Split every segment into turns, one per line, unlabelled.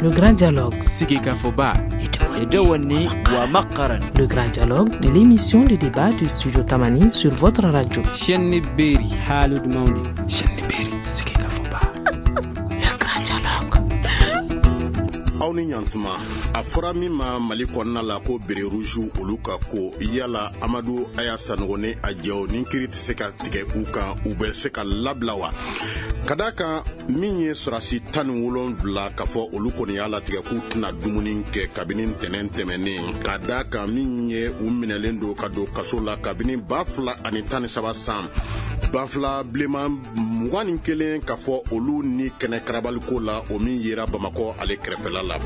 Le Grand Dialogue.
Sigikafɔba.
Le Grand Dialogue de l'émission de débat du Studio Tamani sur votre radio.
Chaîne Berry.
Haalude mawde.
Chaîne Berry. Sigikafɔba.
Le Grand Dialogue.
Aw ni ɲantuma. A fɔra min ma Mali kɔnɔna la ko béret rouge, olu ka ko, yala Amadu Aya Sanogo ni a jɛw, ni kiri tɛ se ka tigɛ u kan, u bɛ se ka labila wa? Ka da kan min ye sɔrɔdasi 17, ka fɔ olu kɔni y'a latigɛ k'u tɛna dumuni kɛ kabini ntɛnɛn tɛmɛnen, ka da kan min ye u minɛlen don ka don kaso la kabini 2013 san. Banfula bilenman 21, ka fɔ olu ni kɛnɛ karabaliko la, o min yera Bamakɔ ale kɛrɛfɛla la.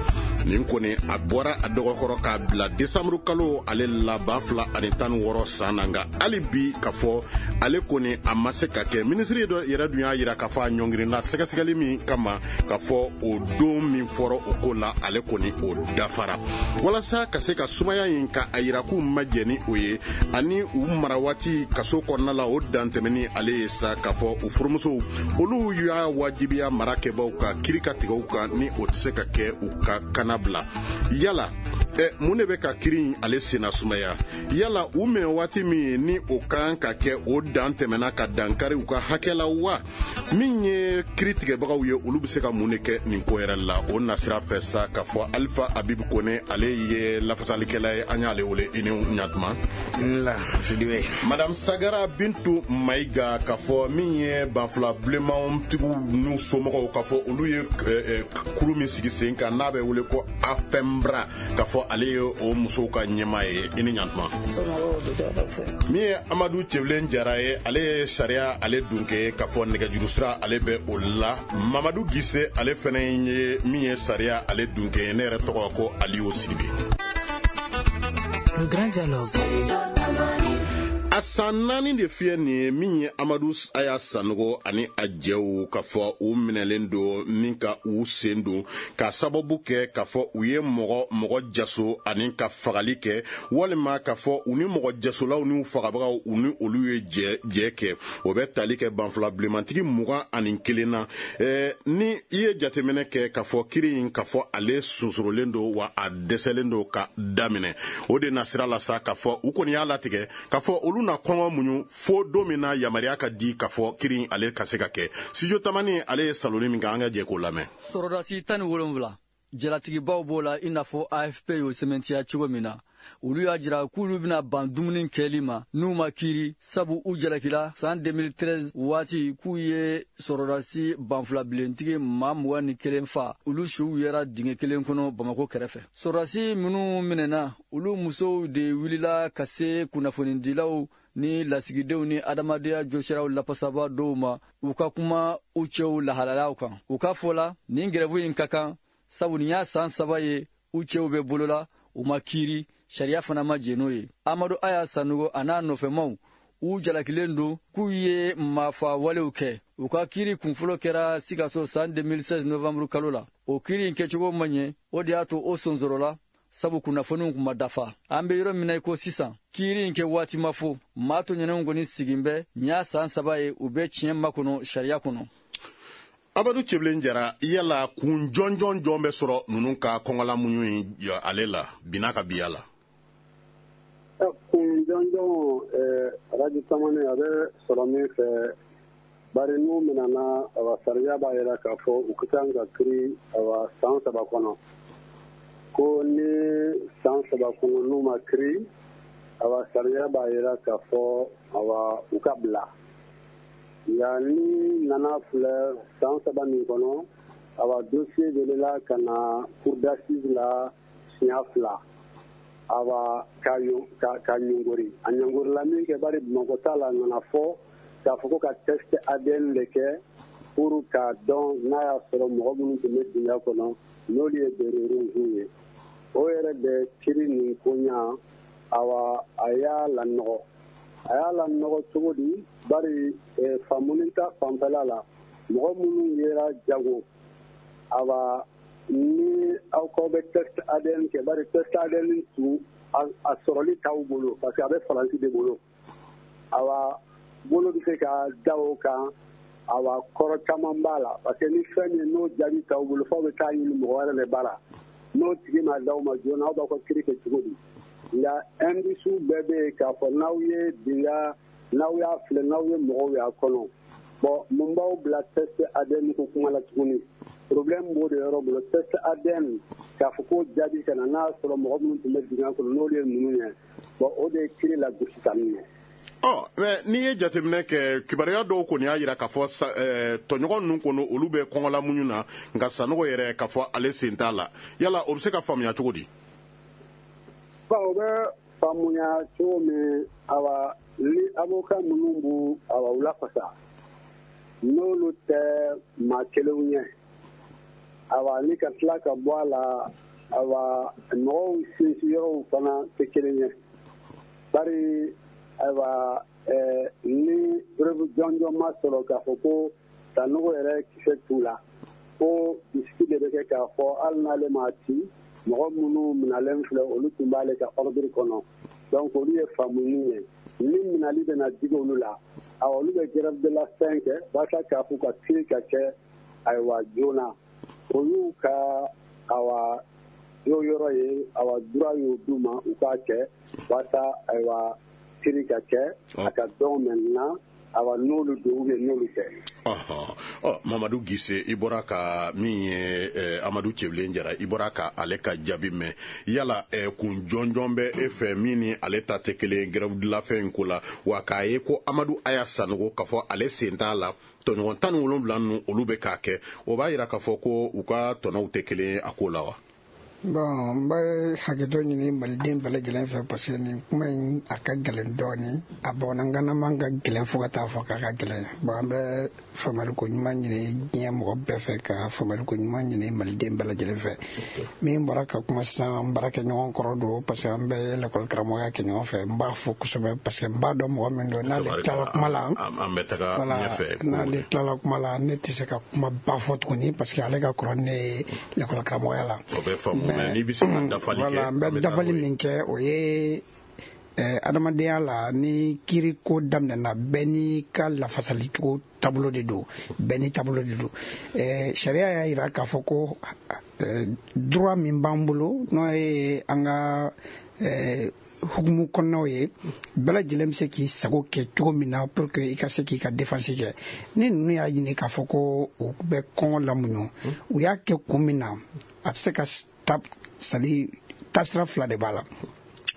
Nin kɔni a bɔra a dɔgɔkɔrɔ k'a bila desanburu kalo ale la 2016 san na, nka hali bi ka fɔ ale kɔni a ma se ka kɛ. Minisiri dɔ yɛrɛ dun y'a yira k'a fɔ a ɲɔngirinna sɛgɛsɛgɛli min kama, ka fɔ o don min fɔra o ko la, ale kɔni o dafara. Walasa ka se ka sumaya in ka a yira k'u ma jɛ ni o ye, ani u mara waati kaso kɔnɔna la, o dantɛmɛni ale ye sa, k'a fɔ u furumusow olu y'a wajibiya mara kɛbaw ka kiri ka tigɛ u kan, ni o tɛ se ka kɛ, u ka kana bila. Yala mun de bɛ ka kiri in ale senna sumaya? Yala u minɛ waati min ni o kan ka kɛ, o dan tɛmɛna ka dankari u ka hakɛ la wa? Min ye kiri tigɛbagaw ye, olu bɛ se ka mun de kɛ nin ko yɛrɛ la? O nasira fɛ sa, k'a fɔ Alifa Abibu Kone, ale ye lafasalikɛla ye, an y'ale wele. I ni ɲatuma.
Nla Sidibe.
Madame Sagara Bintu Mayiga, k'a fɔ min ye banfula bilenmanw tigiw n'u somɔgɔw, k'a fɔ olu ye kulu min sigi sen kan n'a bɛ wele ko AFEMBRA, k'a fɔ ale ye o musow ka ɲɛmaa ye. I ni ɲantuma. Min ye Amadu Cɛbilen Jara ye, ale ye sariya ale dunke, k'a fɔ nɛgɛjuru sira ale bɛ o la. Mamadu Gise, ale fɛnɛ ye min ye sariya ale dunke ye. Ne yɛrɛ tɔgɔ ko Aliyu Sidibe.
Le Grand Dialogue.
A san 4 de fiyɛ nin ye, min ye Amadu Aya Sanogo ani a jɛw, ka fɔ u minɛlen don ni ka u sen don ka sababu kɛ k'a fɔ u ye mɔgɔ mɔgɔ jaso ani ka fagali kɛ, walima k'a fɔ u ni mɔgɔ jasolaw n'u fagabagaw, u ni olu ye jɛ jɛ kɛ. O bɛ tali kɛ banfula bilenmantigi 21 na. Ni i ye jateminɛ kɛ, k'a fɔ kiri in, k'a fɔ ale sonsorolen don wa a dɛsɛlen don ka daminɛ. O de nasira la sa, k'a fɔ u kɔni y'a latigɛ k'a fɔ olu na kɔngɔ muɲu fo don min na yamaruya ka di k'a fɔ kiri ale ka se ka kɛ. Studio Tamani ale ye saloni min kɛ, an ka jɛ k'o lamɛn.
Sɔrɔdasi 17, jalatigibaw b'o la, i n'a fɔ AFP y'o sɛmɛntiya cogo min na. Olu y'a jira k'olu bɛna ban dumuni kɛli ma n'u ma kiiri, sabu u jalakila san 2013 waati k'u ye sɔrɔdasi banfula bilentigi maa 21 fa, olu siw yɛra dingɛ kelen kɔnɔ Bamako kɛrɛfɛ. Sɔrɔdasi minnu minɛna, olu musow de wulila ka se kunnafonidilaw ni lasigidenw ni adamadenya jɔsiraw lafasaba dɔw ma, u ka kuma u cɛw lahalayaw kan. U ka fɔ la, nin grève in ka kan, sabu nin y'a san 3 ye u cɛw bɛ bolola, u ma kiiri, sariya fana ma jɛn n'o ye. Amadu Aya Sanogo a n'a nɔfɛmaw, u jalakilen don k'u ye maafa walew kɛ. U ka kiiri kunfɔlɔ kɛra Sikaso san 2016 novembre kalo la. O kiiri in kɛcogo ma ɲɛ, o de y'a to o sonsorola, sabu kunnafoniw kun ma dafa. An bɛ yɔrɔ min na i ko sisan, kiiri in kɛ waati ma fo maa to ɲɛnɛw kɔni sigin bɛ. Nin y'a san 3 ye u bɛ tiɲɛ makɔnɔ sariya kɔnɔ.
Amadu Cɛbilen Jara, yala kun jɔnjɔn jɔn bɛ sɔrɔ ninnu ka kɔngɔla muɲu in ale la bina ka biya la?
Kun jɔnjɔn, Radio Tamani, a bɛ sɔrɔ min fɛ, bari n'u minɛna, awa, sariya b'a yira k'a fɔ u ka kan ka kiri, awa, san 3 kɔnɔ. Ko ni san 3 kɔnɔ n'u ma kiri, awa, sariya b'a yira k'a fɔ, awa, u ka bila. Nka ni nana filɛ san 3 nin kɔnɔ, awa, dossier welela ka na cour d'assises la siɲɛ 2, awa, ka ka ɲɔngori. A ɲɔngorila min kɛ, bari Bamakɔ ta la, a nana fɔ k'a fɔ ko ka test ADN de kɛ pour k'a dɔn n'a y'a sɔrɔ mɔgɔ minnu tun bɛ dingɛ kɔnɔ, n'olu ye béret rouge ye. O yɛrɛ bɛ kiri nin ko ɲa, awa, a y'a lanɔgɔ. A y'a lanɔgɔ cogo di? Bari faamuni ta fanfɛla la, mɔgɔ minnu yera jago, awa, ni aw k'aw bɛ test ADN kɛ, bari test ADN tun a sɔrɔli t'aw bolo, parce que a bɛ Faransi de bolo. Awa, bolo bɛ se ka da o kan. Awa kɔrɔ caman b'a la, parce que ni fɛn min n'o jaabi t'aw bolo, f'aw bɛ taa ɲini mɔgɔ wɛrɛ de bara, n'o tigi ma d'aw ma joona, aw b'aw ka kiiri kɛ cogo di? Nka indice bɛɛ bɛ yen k'a fɔ n'aw ye dinga, n'aw y'a filɛ, n'aw ye mɔgɔw y'a kɔnɔ. Bon, mun b'aw bila test ADN ko kuma la tuguni? Problème b'o de yɔrɔ bolo. Test ADN, k'a fɔ ko jaabi ka na, n'a y'a sɔrɔ mɔgɔ minnu tun bɛ dingɛ kɔnɔ, n'olu ye ninnu ye, bon, o de ye kiiri lagosi ka min ye.
Ɔ, mais n'i ye jateminɛ kɛ, kibaruya dɔw kɔni y'a jira k'a fɔ tɔɲɔgɔn ninnu kɔni, olu bɛ kɔngɔla muɲu na, nka Sanogo yɛrɛ, k'a fɔ ale sen t'a la. Yala o bɛ se ka faamuya cogo di?
Bon, o bɛ faamuya cogo min, awa, ni avocat minnu b'u, awa, u lafasa, n'olu tɛ maa kelenw ye, awa, ni ka tila ka bɔ a la, awa, mɔgɔw sinsin yɔrɔw fana tɛ kelen ye, bari ayiwa, ni preuve jɔnjɔn ma sɔrɔ k'a fɔ ko Sanogo yɛrɛ kisɛ t'u la, ko bisiki de bɛ kɛ k'a fɔ hali n'ale m'a ci, mɔgɔ minnu minalen filɛ, olu tun b'ale ka ordre kɔnɔ. Donc olu ye faamuni ye, ni minali bɛna digi olu la, awa, olu bɛ grève de la faim kɛ walasa k'a fɔ ka kiiri ka kɛ, ayiwa, joona. O y'u ka, awa, jo yɔrɔ ye, awa, droit y'o d'u ma u k'a kɛ walasa, ayiwa, kiiri ka kɛ, a ka dɔn maintenant, awa, n'olu don ou bien n'olu tɛ.
Ɔ, Mamadu Gise, i bɔra ka min ye Amadu Cɛbilen Jara, i bɔra ka ale ka jaabi mɛn. Yala kun jɔnjɔn bɛ e fɛ min ni ale ta tɛ kelen grève de la faim in ko la wa? K'a ye ko Amadu Aya Sanogo, k'a fɔ ale sen t'a la, tɔɲɔgɔn 17 ninnu, olu bɛ k'a kɛ, o b'a yira k'a fɔ ko u ka tɔnɔw tɛ kelen ye a ko la wa?
Bon, n bɛ hakɛto ɲini maliden bɛɛ lajɛlen fɛ, parce que nin kuma in a ka gɛlɛn dɔɔni, a bamanankan man ka gɛlɛn fo ka taa fɔ k'a ka gɛlɛn. Bon, an bɛ faamuyali ko ɲuman ɲini diɲɛ mɔgɔ bɛɛ fɛ, ka faamuyali ko ɲuman ɲini maliden bɛɛ lajɛlen fɛ. Min bɔra ka kuma sisan, n baarakɛɲɔgɔn kɔrɔ don, parce que an bɛɛ ye lakɔli karamɔgɔya kɛ ɲɔgɔn fɛ. N b'a fo kosɛbɛ, parce que n b'a dɔn mɔgɔ min don. N'ale tilala kuma la,
an bɛ taga ɲɛfɛ.
N'ale tilala kuma la, ne tɛ se ka kuma ba fɔ tuguni, parce que ale ka kɔrɔ ne ye lakɔli karamɔgɔya la.
O bɛ faamu, mais n'i bɛ se ka dafali kɛ.
Voilà, n bɛ dafali min kɛ, o ye adamadenya la, ni kiiri ko daminɛna, bɛɛ n'i ka lafasali cogo taabolo de don, bɛɛ n'i taabolo de don. Sariya y'a jira k'a fɔ ko droit min b'an bolo, n'o ye an ka hukumu kɔnɔnaw ye, bɛɛ lajɛlen bɛ se k'i sago kɛ cogo min na pour que i ka se k'i ka défense kɛ. Ni ninnu y'a ɲini k'a fɔ ko u bɛ kɔngɔ lamuɲu, u y'a kɛ kun min na, a bɛ se ka ta, c'est à dire taasira fila de b'a la.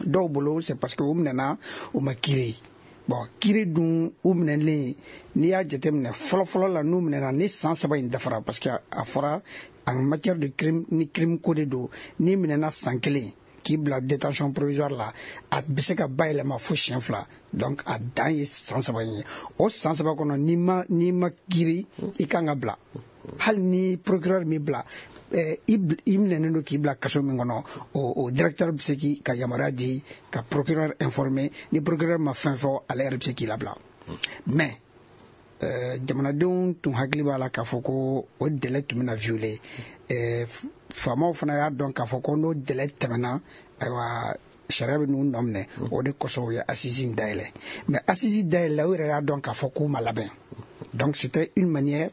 Dɔw bolo, c'est parce que u minɛna, u ma kiiri. Bon, kiiri dun, u minɛlen, n'i y'a jateminɛ fɔlɔ-fɔlɔ la, n'u minɛna ni san 3 in dafara, parce que a fɔra en matière de crime, ni crime ko de don, n'i minɛna san kelen k'i bila détention provisoire la, a bɛ se ka bayɛlɛma fo siɲɛ fila. Donc a dan ye san 3 in ye. O san 3 kɔnɔ, n'i ma kiiri, i kan ka bila. Hali ni procureur m'i bila, i minɛnen don k'i bila kaso min kɔnɔ, o directeur bɛ se k'i ka yamaruya di ka procureur informer. Ni procureur ma fɛn fɔ, ale yɛrɛ bɛ se k'i labila. Mais jamanadenw tun hakili b'a la k'a fɔ ko o délai tun bɛna violer. Faamaw fana y'a dɔn k'a fɔ ko n'o délai tɛmɛna, ayiwa, sariya bɛ n'u nɔ minɛ. O de kosɔn u ye assise in dayɛlɛ. Mais assise dayɛlɛ, u yɛrɛ y'a dɔn k'a fɔ k'u ma labɛn. Donc c'était une manière,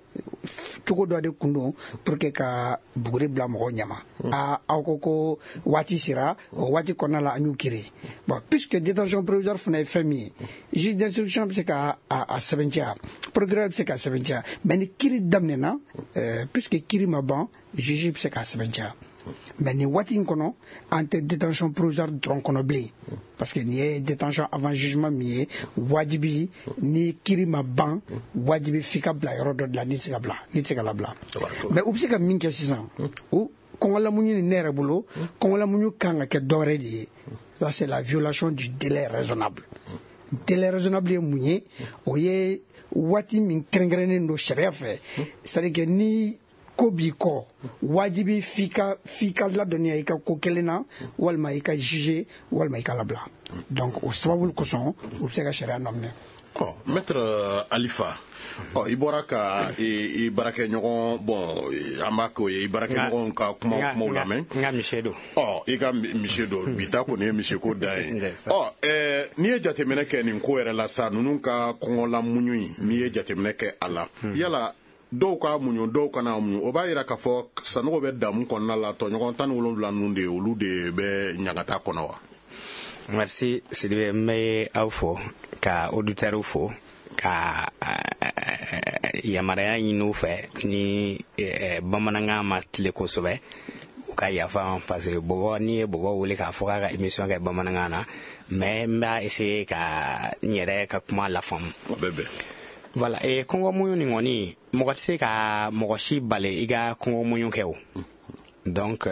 cogo dɔ de kun don pour que ka buguri bila mɔgɔw ɲɛma. Aa, aw ko ko waati sera, o waati kɔnɔna la, an y'u kiiri. Bon, puisque détention provisoire fana ye fɛn min ye, juge d'instruction bɛ se ka a sɛbɛntiya, procureur bɛ se ka sɛbɛntiya, mais ni kiiri daminɛna, puisque kiiri ma ban, juge bɛ se k'a sɛbɛntiya. Mais nin waati in kɔnɔ, an tɛ détention provisoire dɔrɔn kɔnɔ bilen, parce que nin ye détention avant jugement min ye, wajibi ni kiiri ma ban, wajibi f'i ka bila yɔrɔ dɔ de la, n'i tɛ se ka bila, n'i tɛ se ka labila. Mais u bɛ se ka min kɛ sisan, o kɔngɔlamuɲu ni ne yɛrɛ bolo, kɔngɔlamuɲu kan ka kɛ dɔwɛrɛ de ye. Là, c'est la violation du délai raisonnable. Délai raisonnable ye mun ye? O ye waati min kɛrɛnkɛrɛnnen don sariya fɛ, c'est à dire que ni ko b'i kɔ, wajibi f'i ka ladɔnniya i ka ko kelen na, walima i ka juger, walima i ka labila. Donc o sababu kosɔn, u bɛ se ka sariya nɔ minɛ.
Ɔ, maître Alifa, ɔ, i bɔra ka i baarakɛɲɔgɔn, bon, an b'a k'o ye, i baarakɛɲɔgɔn ka kuma kumaw lamɛn.
N ka misi don.
Ɔ, i ka misi don. Bi ta kɔni ye misiko dan ye. Ɔ, n'i ye jateminɛ kɛ nin ko yɛrɛ la sa, ninnu ka kɔngɔla muɲu in, n'i ye jateminɛ kɛ a la, yala dɔw ka muɲu, dɔw kana muɲu, o b'a yira k'a fɔ Sanogo bɛ damu kɔnɔna la, tɔɲɔgɔn 17 ninnu de, olu de bɛ ɲagata kɔnɔ wa?
Merci Sidibe, n bɛ aw fo, ka auditeurs fo, ka yamaruya ɲini u fɛ ni bamanankan ma tile kosɛbɛ, u ka yafa, parce que bɔbɔ, n'i ye bɔbɔ wele k'a fɔ k'a ka émission kɛ bamanankan na, mais n b'a essayer ka n yɛrɛ ka kuma lafaamu.
O bɛ bɛn.
Voilà, et kɔngɔ muɲu nin kɔni, mɔgɔ tɛ se ka mɔgɔ si bali i ka kɔngɔ muɲu kɛ o. Donc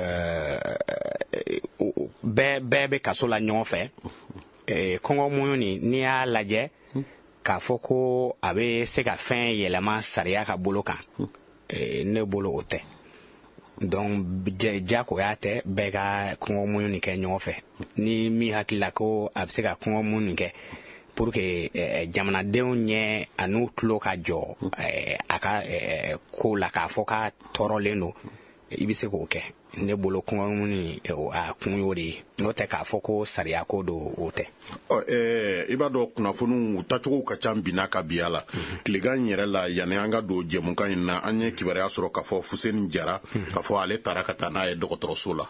bɛɛ bɛɛ bɛ kaso la ɲɔgɔn fɛ. Kɔngɔ muɲu nin, n'i y'a lajɛ k'a fɔ ko a bɛ se ka fɛn yɛlɛma sariya ka bolo kan, ne bolo o tɛ. Donc jagoya tɛ bɛɛ ka kɔngɔ muɲu nin kɛ ɲɔgɔn fɛ. Ni min hakili la ko a bɛ se ka kɔngɔ muɲu nin kɛ pour que jamanadenw ɲɛ an'u tulo ka jɔ a ka ko la, k'a fɔ k'a tɔɔrɔlen don, i bɛ se k'o kɛ. Ne bolo kɔngɔ muɲu a kun y'o de ye, n'o tɛ k'a fɔ ko sariya ko don, o tɛ.
Ɔ, i b'a dɔn kunnafoniw tacogo ka ca bi n'a ka bi a la. Tilegan yɛrɛ la, yanni an ka don jɛmukan in na, an ye kibaruya sɔrɔ k'a fɔ Fuseni Jara, k'a fɔ ale taara ka taa n'a ye dɔgɔtɔrɔso la.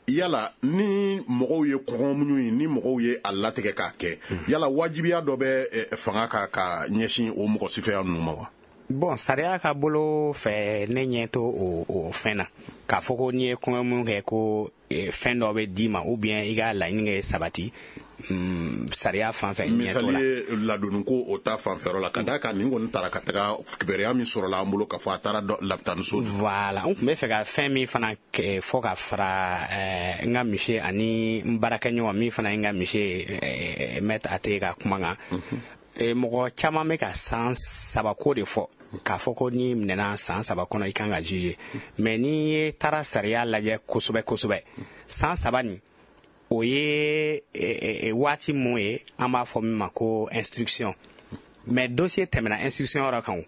Yala ni mɔgɔw ye kɔngɔ muɲu ye, ni mɔgɔw ye a latigɛ k'a kɛ, yala wajibiya dɔ bɛ fanga kan ka ɲɛsin o mɔgɔ sifɛya ninnu ma wa?
Bon, sariya ka bolo fɛ, ne ɲɛ to o fɛn na k'a fɔ ko n'i ye kɔngɔ muɲu kɛ ko fɛn dɔ bɛ d'i ma ou bien i ka laɲini kɛ sabati, sariya fan fɛ,
ɲɛ t'o la. Misali ye ladonni ko o ta fanfɛyɔrɔ la, ka d'a kan nin kɔni taara ka taga, kibaruya min sɔrɔla an bolo k'a fɔ a taara lapitaniso.
Voilà, n tun bɛ fɛ ka fɛn min fana fɔ ka fara n ka misi ani n baarakɛɲɔgɔn min fana ye n ka misi ye, maître Ate ka kuma kan. Mɔgɔ caman bɛ ka san 3 ko de fɔ, k'a fɔ ko n'i minɛna san 3 kɔnɔ, i kan ka juger. Mais n'i ye taara sariya lajɛ kosɛbɛ kosɛbɛ, san 3 nin, o ye waati mun ye, an b'a fɔ min ma ko instruction. Mais dossier tɛmɛna instruction yɔrɔ kan o.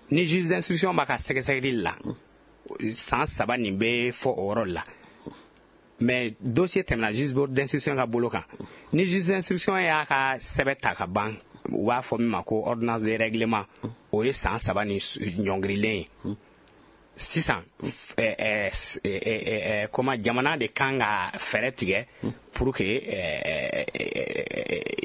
Ni juge d'instruction b'a ka sɛgɛsɛgɛli la, san 3 nin bɛ fɔ o yɔrɔ la. Mais dossier tɛmɛna juge d'instruction ka bolo kan. Ni juge d'instruction y'a ka sɛbɛn ta ka ban, u b'a fɔ min ma ko ordonnance de règlement, o ye san 3 ni ɲɔngirilen ye. Sisan comment, jamana de kan ka fɛɛrɛ tigɛ pour que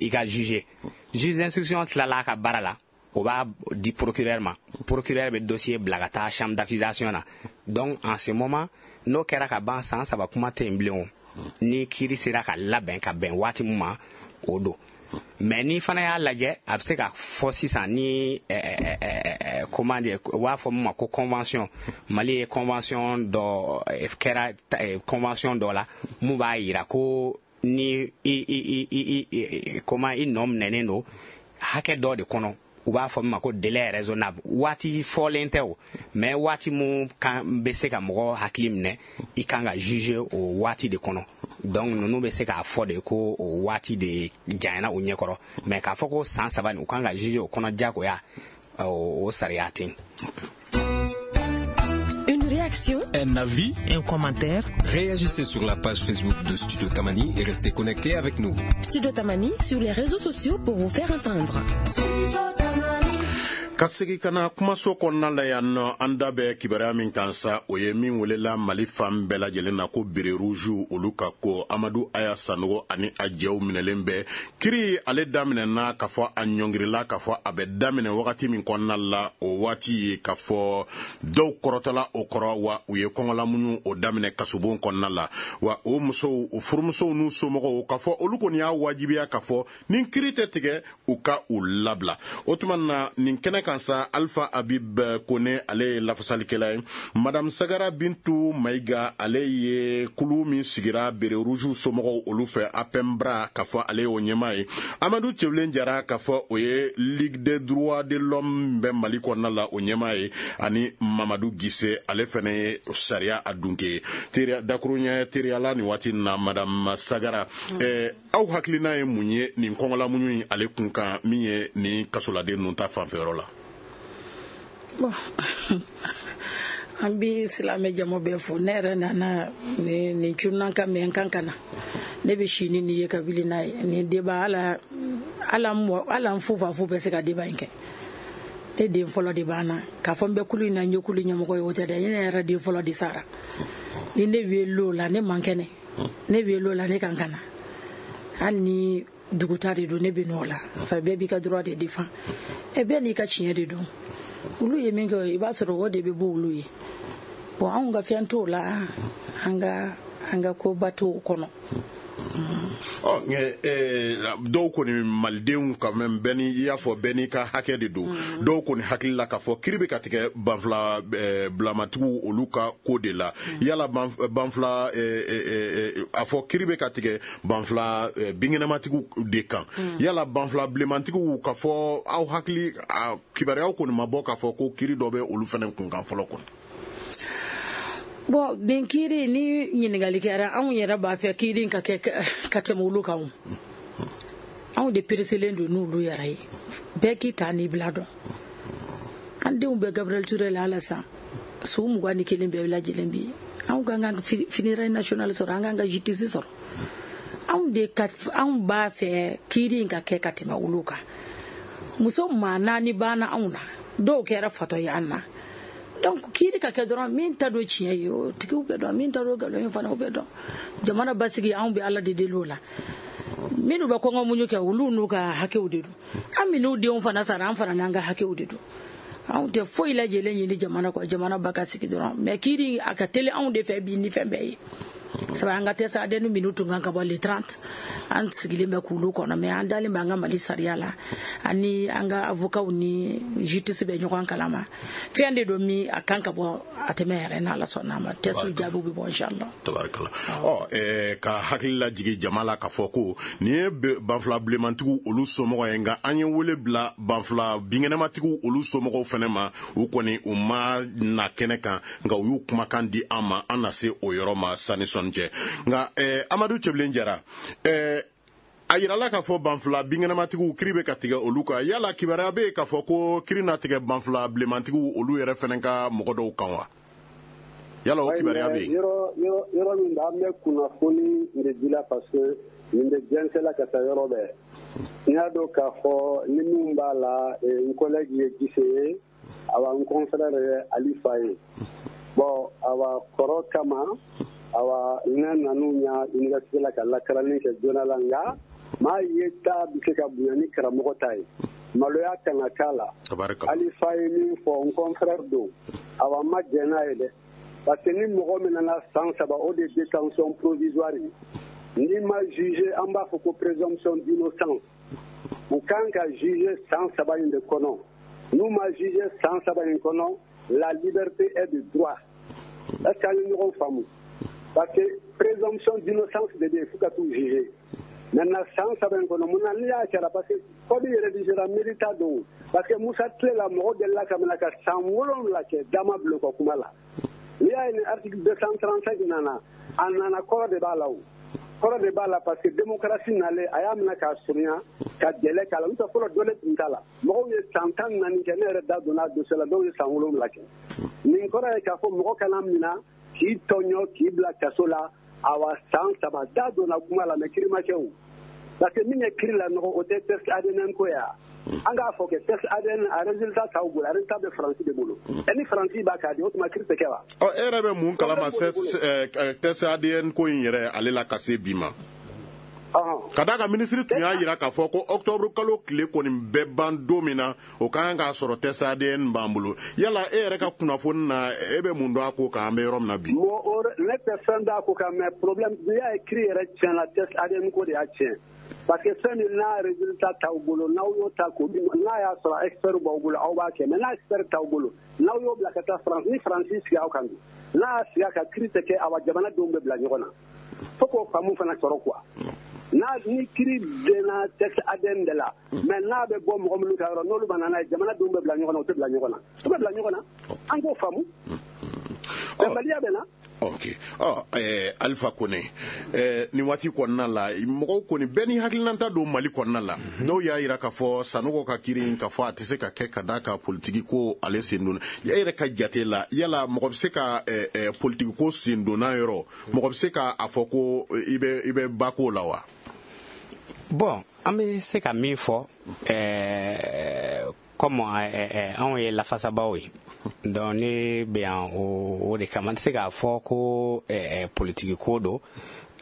i ka juger. Juge d'instruction tilala a ka baara la, o b'a di procureur ma, procureur bɛ dossier bila ka taa chambre d'accusation na. Donc en ce moment, n'o kɛra ka ban, san 3 kuma tɛ yen bilen o. Ni kiiri sera ka labɛn ka bɛn waati min ma, o don. Mais ni fana y'a lajɛ, a bɛ se ka fɔ sisan ni comment dire, u b'a fɔ min ma ko convention. Mali ye convention dɔ kɛra, convention dɔ la mun b'a yira ko ni i i i i comment, i nɔ minɛnen don hakɛ dɔ de kɔnɔ, u b'a fɔ min ma ko délai raisonnable. Waati fɔlen tɛ o, mais waati mun kan bɛ se ka mɔgɔ hakili minɛ, i kan ka juger o waati de kɔnɔ. Donc ninnu bɛ se k'a fɔ de ko o waati de janyana u ɲɛkɔrɔ, mais k'a fɔ ko san 3 nin u kan ka juger o kɔnɔ diyagoya, o sariya tɛ yen.
Une réaction,
un avis,
un commentaire.
Réagissez sur la page Facebook de Studio Tamani et restez connectés avec nous.
Studio Tamani sur les réseaux sociaux pour vous faire entendre.
Ka segi ka na kumaso kɔnɔna la yan nɔ, an da bɛ kibaruya min kan sa, o ye min welela Mali fan bɛɛ lajɛlen na ko béret rouge olu ka ko. Amadu Aya Sanogo ani a jɛw minɛlen bɛ. Kiri ale daminɛna, k'a fɔ a ɲɔngirila, k'a fɔ a bɛ daminɛ wagati min kɔnɔna la, o waati ye k'a fɔ dɔw kɔrɔtɔla o kɔrɔ, wa u ye kɔngɔlamuɲu o daminɛ kasobon kɔnɔna la. Wa o musow, o furumusow n'u somɔgɔw, k'a fɔ olu kɔni y'a wajibiya k'a fɔ ni kiri tɛ tigɛ, u ka u labila. O tuma na, nin kɛnɛ kan sa, Alpha Habib Kone, ale ye lafasalikɛla ye. Madame Sagara Bintu Mayiga, ale ye kulu min sigira béret rouge somɔgɔw olu fɛ, APEMBRA, k'a fɔ ale y'o ɲɛmaa ye. Amadu Cɛbilen Jara, k'a fɔ o ye Ligue des droits de l'homme bɛ Mali kɔnɔna la, o ɲɛmaa ye. Ani Mamadu Gise, ale fɛnɛ ye sariya a dunke ye. Teriya dakuruɲɛ teriyala nin waati na, Madame Sagara. Aw hakilina ye mun ye nin kɔngɔlamuɲu in ale kun kan, min ye nin kasoladen ninnu ta fanfɛyɔrɔ la?
Bon, an bi silamɛ jama bɛɛ fo. Ne yɛrɛ nana nin cunan ka mɛn kan ka na, ne bɛ si ni nin ye ka wuli n'a ye. Nin débat, ala ala ala n fufafu bɛ se ka débat in kɛ. Ne den fɔlɔ de b'an na k'a fɔ n bɛ kulu in na, n ye kulu ɲɛmɔgɔ ye, o tɛ dɛ. Ne yɛrɛ den fɔlɔ de sara. Ni ne wele o la, ne man kɛnɛ. Ne wele o la, ne kan ka na, hali ni duguta de don, ne bɛ n'o la. Sabu bɛɛ b'i ka droit de défend, ɛ bɛɛ n'i ka tiɲɛ de don. Olu ye min kɛ, i b'a sɔrɔ o de bɛ bɔ olu ye. Bon, anw ka fɛn t'o la, an ka koba t'o kɔnɔ.
Ɔ, dɔw kɔni, malidenw quand même, bɛɛ ni i y'a fɔ, bɛɛ n'i ka hakɛ de don. Dɔw kɔni hakili la k'a fɔ kiri bɛ ka tigɛ banfula bilamatigiw olu ka ko de la. Yala banfula, a fɔ kiri bɛ ka tigɛ banfula binkɛnɛmatigiw de kan. Yala banfula bilenmantigiw, ka fɔ aw hakili, kibaruyaw kɔni ma bɔ k'a fɔ ko kiri dɔ bɛ olu fana kun kan fɔlɔ kɔni?
Bon, nin kiiri ni ɲininkali kɛra, anw yɛrɛ b'a fɛ kiiri ka kɛ ka tɛmɛ olu kan. Anw de pereselen don n'olu yɛrɛ ye. Bɛɛ k'i ta n'i bila dɔn. An denw bɛ Gabriel Touré la halisa, su 21 bɛɛ lajɛlen bi. Anw kan ka funérailles nationales sɔrɔ, an kan ka justice sɔrɔ. Anw de ka, anw b'a fɛ kiiri in ka kɛ ka tɛmɛ olu kan. Muso maa naani banna anw na, dɔw kɛra fatɔ ye an na. Donc kiiri ka kɛ dɔrɔn, min ta don tiɲɛ ye, o tigiw bɛ dɔn, min ta don nkalon ye fana, o bɛ dɔn. Jamana basigi, anw bɛ Ala de deli o la. Minnu bɛ kɔngɔ muɲu kɛ, olu n'u ka hakɛw de don. An minnu denw fana sara, an fana n'an ka hakɛw de don. Anw tɛ foyi lajɛlen ɲini jamana kɔ, jamana ba ka sigi dɔrɔn. Mais kiiri a ka teli anw de fɛ bi ni fɛn bɛɛ ye. Sabu an ka test ADN minnu tun kan ka bɔ le 30, an sigilen bɛ k'olu kɔnɔ. Mais an dalen bɛ an ka Mali sariya la, ani an ka avocat ni justice bɛ ɲɔgɔn kalama. Fɛn de don min a kan ka bɔ a tɛmɛ yɛrɛ, n'Ala sɔnna a ma, test jaabiw bɛ bɔ, inchallah.
Tabarikala. Ɔ, ka hakili lajigin jama la k'a fɔ ko nin ye banfula bilenmantigiw olu somɔgɔ ye. Nka an ye wele bila banfula binkɛnɛmatigiw olu somɔgɔw fɛnɛ ma. U kɔni, u ma na kɛnɛ kan, nka u y'u kumakan di an ma. An na se o yɔrɔ ma sani sɔnni cɛ. Nka Amadu Cɛbilen Jara, a yirala k'a fɔ banfula binkɛnɛmatigiw kiri bɛ ka tigɛ olu kan. Yala kibaruya bɛ yen k'a fɔ ko kiri na tigɛ banfula bilenmantigiw olu yɛrɛ fɛnɛ ka mɔgɔ dɔw kan wa? Yala o kibaruya bɛ yen?
Yɔrɔ min bɛ, an bɛ kunnafoni de di la, parce que nin bɛ jɛnsɛla ka taa yɔrɔ bɛɛ. N y'a dɔn k'a fɔ ni min b'a la, n collègue ye Gise ye, awa n confrère ye Alifa ye. Bon, awa kɔrɔ kama, awa ne nan'u ɲa université la ka lakaranni kɛ joona la. Nka maa ye ta bɛ se ka bonya ni karamɔgɔ ta ye, maloya kana k'a la. Alifa ye min fɔ, n confrère don, awa n ma jɛn n'a ye dɛ. Parce que ni mɔgɔ min nana san 3, o de ye détention provisoire ye. N'i ma juger, an b'a fɔ ko présomption d'innocence. U kan ka juger san 3 in de kɔnɔ. N'u ma juger san 3 in kɔnɔ, la liberté est de droit. Est ce que an ye ɲɔgɔn faamu? Parce que présomption d'innocence de bɛ yen fo ka t'u juger. Maintenant, san 3 in kɔnɔ, mun na n'i y'a kɛra? Parce que code rédigera mérita don. Parce que Musa tile la, mɔgɔ delila ka minɛ ka san 7 kɛ, da ma bila u ka kuma la. N'i y'a ye ni article 235 nana, a nana, kɔrɔ de b'a la. O kɔrɔ de b'a la, parce que démocratie nalen, a y'a minɛ k'a surunya ka délai k'a la. N'o tɛ, fɔlɔ dɔlen tun t'a la. Mɔgɔw ye san 14 kɛ. Ne yɛrɛ da donna a dossier la, dɔw ye san 7 kɛ. Nin kɔrɔ ye k'a fɔ mɔgɔ kana minɛ k'i tɔɲɔ k'i bila kaso la, awa san 3, da donna kuma la, mais kiri ma kɛ o. Parce que min ye kiri la nɔgɔ, o tɛ test ADN ko ye wa? An k'a fɔ kɛ test ADN, a résultat t'aw bolo, a résultat bɛ Faransi de bolo. Ɛ, ni Faransi b'a k'a di, o tuma kiri tɛ kɛ wa?
Ɔ, e yɛrɛ bɛ mun kalama test ADN ko in yɛrɛ ale la ka se bi ma? Ka d'a kan minisiri tun y'a jira k'a fɔ ko octobre kalo tile kɔni bɛ ban don min na, o ka kan k'a sɔrɔ test ADN b'an bolo. Yala e yɛrɛ ka kunnafoni na, e bɛ mun dɔn a ko kan, an bɛ yɔrɔ min na bi?
Ne tɛ fɛn dɔn a ko kan, mais problème, n'i y'a ye kiri yɛrɛ tiɲɛna, test ADN ko de y'a tiɲɛ. Parce que fɛn min n'a résultat t'aw bolo, n'aw y'o ta k'o di, n'a y'a sɔrɔ expert b'aw bolo, aw b'a kɛ. Mais n'a expert t'aw bolo, n'aw y'o bila ka taa France, ni Faransi sigi aw kan dun, n'a y'a sigi a kan, kiri tɛ kɛ, awa jamanadenw bɛ bila ɲɔgɔn na. Fo k'o faamu fana sɔrɔ quoi. N'a ni kiri denna test ADN de la, mais n'a bɛ bɔ mɔgɔ minnu ka yɔrɔ, n'olu ma na n'a ye, jamanadenw bɛ bila ɲɔgɔn na. U tɛ bila ɲɔgɔn na, u bɛ bila ɲɔgɔn na. An k'o faamu, bɛnbaliya bɛ na.
Ok, ɔ Alifa Kone, nin waati kɔnɔna la, mɔgɔw kɔni bɛɛ ni hakilinata don Mali kɔnɔna la. Dɔw y'a yira k'a fɔ Sanogo ka kiiri in, k'a fɔ a tɛ se ka kɛ ka d'a kan politiki ko ale sen donna. E yɛrɛ ka jate la, yala mɔgɔ bɛ se ka politiki ko sen donna yɔrɔ, mɔgɔ bɛ se ka a fɔ ko i bɛ ba ko la wa?
Bon, an bɛ se ka min fɔ, comme anw ye lafasabaw ye, donc ne bɛ yan o de kama. N tɛ se k'a fɔ ko politiki ko don.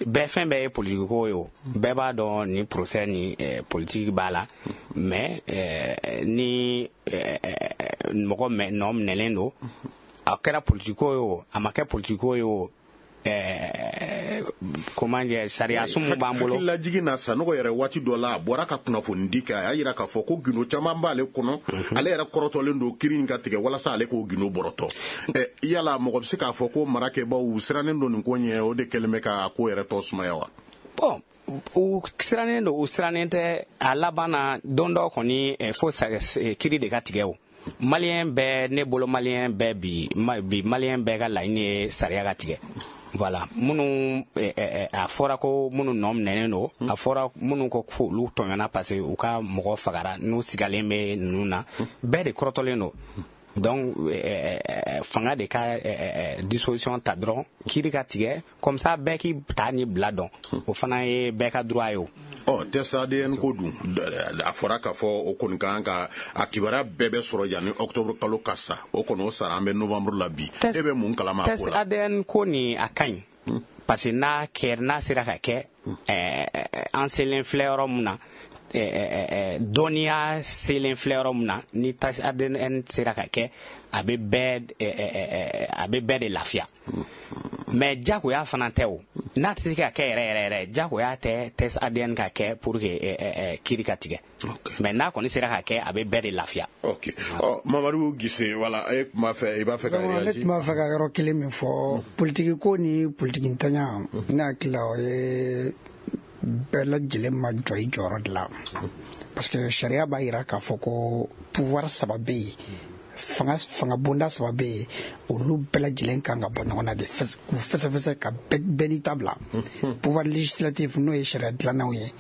Bɛɛ, fɛn bɛɛ ye politiki ko ye. O bɛɛ b'a dɔn, nin procès ni politiki b'a la. Mais ni mɔgɔ nɔ minɛlen don, a kɛra politiki ko ye o, a ma kɛ politiki ko ye o, comment dire, sariya sun mun b'an bolo.
Hakililajigin na, Sanogo yɛrɛ, waati dɔ la, a bɔra ka kunnafoni di kɛ, a y'a yira k'a fɔ ko gindo caman b'ale kɔnɔ, ale yɛrɛ kɔrɔtɔlen don kiiri in ka tigɛ walasa ale k'o gindo bɔrɔtɔ. Yala mɔgɔ bɛ se k'a fɔ ko marakɛbaw sirannen don nin ko ɲɛ, o de kɛlen bɛ ka ko yɛrɛ tɔ sumaya wa?
Bon, u sirannen don, u sirannen tɛ, a laban na, don dɔ kɔni, fo kiiri de ka tigɛ. O maliyɛn bɛɛ, ne bolo, maliyɛn bɛɛ bi, bi maliyɛn bɛɛ ka laɲini ye sariya ka tigɛ. Voilà, minnu a fɔra ko minnu nɔ minɛnen don, a fɔra minnu ko k'olu tɔɲɔna parce que u ka mɔgɔ fagara, n'u sigalen bɛ ninnu na, bɛɛ de kɔrɔtɔlen don. Donc fanga de ka disposition ta dɔrɔn, kiiri ka tigɛ, comme ça bɛɛ k'i ta ni bila dɔn. O fana ye bɛɛ ka droit ye o.
Ɔ, test ADN ko dun, a fɔra k'a fɔ o kɔni kan ka a kibaruya bɛɛ bɛ sɔrɔ yanni octobre kalo ka sa. O kɔni o sara, an bɛ novembre la bi. E bɛ mun kalama a
ko
la?
Test ADN ko nin, a ka ɲi, parce que n'a kɛ, n'a sera ka kɛ, an selen filɛ yɔrɔ mun na, dɔnniya selen filɛ yɔrɔ mun na, ni test ADN sera ka kɛ, a bɛ bɛɛ de lafiya. Mais jagoya fana tɛ o, n'a tɛ se ka kɛ yɛrɛ yɛrɛ yɛrɛ, jagoya tɛ test ADN ka kɛ pour que kiiri ka tigɛ. Mais n'a kɔni sera ka kɛ, a bɛ bɛɛ de lafiya.
Ok, ɔ, Mamadu Gise, voilà, e tun b'a fɛ, i b'a fɛ ka
Ne
réagir.
tun b'a fɛ ka yɔrɔ kelen min fɔ, politiki ko ni politiki ntanya, ne hakili la, o ye bɛɛ lajɛlen ma jɔ i jɔyɔrɔ de la, parce que sariya b'a yira k'a fɔ ko pouvoir saba bɛ yen, fanga bonda saba bɛ yen, olu bɛɛ lajɛlen kan ka bɔ ɲɔgɔn na de k'u fɛsɛfɛsɛ ka bɛɛ n'i ta bila. Pouvoir législatif, n'o ye sariya dilannaw ye,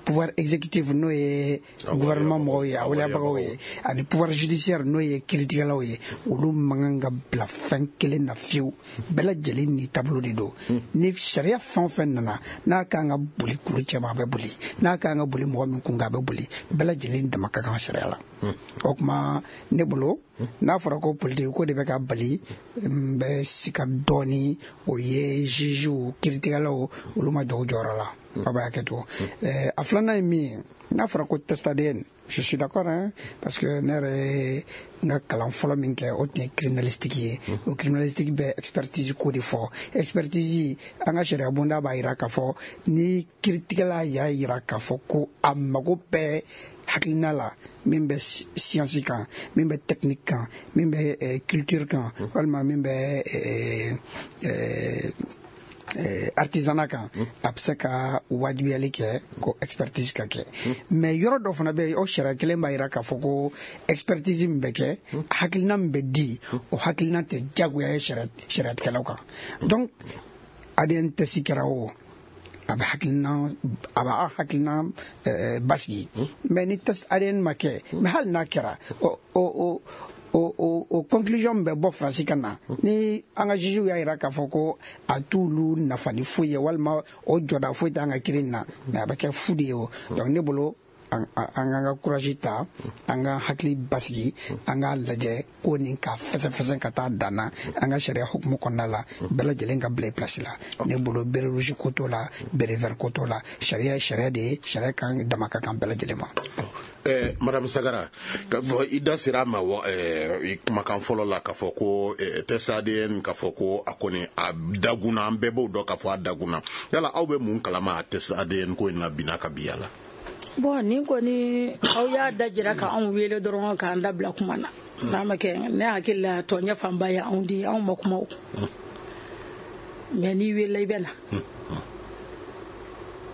pouvoir exécutif, n'o ye gouvernement mɔgɔw ye, a waleyabagaw ye, ani pouvoir judiciaire, n'o ye kiiritigɛlaw ye, olu man kan ka bila fɛn kelen na fiyewu. Bɛɛ lajɛlen ni taabolo de don. Ni sariya fɛn o fɛn nana, n'a kan ka boli kulu cɛma, a bɛ boli, n'a kan ka boli mɔgɔ min kun kan, a bɛ boli. Bɛɛ lajɛlen dama ka kan sariya la. O tuma, ne bolo, n'a fɔra ko politiki ko de bɛ ka bali, n bɛ sika dɔɔni. O ye jugew, kiiritigɛlaw, olu ma jɔ u jɔyɔrɔ la. Aw b'a hakɛ to. A filanan ye min ye, n'a fɔra ko test ADN, je suis d'accord, hein, parce que ne yɛrɛ ye n ka kalan fɔlɔ min kɛ, o tun ye criminalistique ye. O criminalistique bɛ expertise ko de fɔ. Expertise, an ka sariya bonda b'a yira k'a fɔ ni kiiritigɛla y'a yira k'a fɔ ko a mago bɛɛ hakilina la min bɛ science kan, min bɛ technique kan, min bɛ culture kan, walima min bɛ artisanat kan, a bɛ se ka wajibiyali kɛ ko expertise ka kɛ. Mais yɔrɔ dɔ fana bɛ yen, o sariya kelen b'a yira k'a fɔ ko expertise min bɛ kɛ, hakilina min bɛ di, o hakilina tɛ jagoya ye sariyatigɛlaw kan. Donc ADN test kɛra o, a bɛ hakilina, a b'a hakilina basigi. Mais ni test ADN ma kɛ, mais hali n'a kɛra, o conclusion bɛ bɔ Faransi ka na, ni an ka juges y'a yira k'a fɔ ko a t'olu nafa ni foyi ye, walima o jɔda foyi t'an ka kiiri in na, mais a bɛ kɛ fu de ye o. Donc ne bolo, an k'an ka courage ta, an ka hakili basigi, an k'a lajɛ ko nin ka fɛsɛfɛsɛ ka taa dan na an ka sariya hukumu kɔnɔna la, bɛɛ lajɛlen ka bila i place la. Ne bolo, béret rouge ko t'o la, béret vert ko t'o la, sariya ye sariya de ye, sariya kan dama ka kan bɛɛ lajɛlen ma.
Madame Sagara, k'a fɔ i da sera a ma i kumakan fɔlɔ la, k'a fɔ ko test ADN, k'a fɔ ko a kɔni a dagunna, an bɛɛ b'o dɔn k'a fɔ a dagunna. Yala aw bɛ mun kalama a test ADN ko in na bi n'a ka bi la?
Bon, nin kɔni, aw y'a da jira ka anw wele dɔrɔn k'an dabila kuma na. N'a ma kɛ, ne hakili la, tɔɲɛ fanba ye anw di, anw ma kuma o. Mais n'i wele, i bɛ na.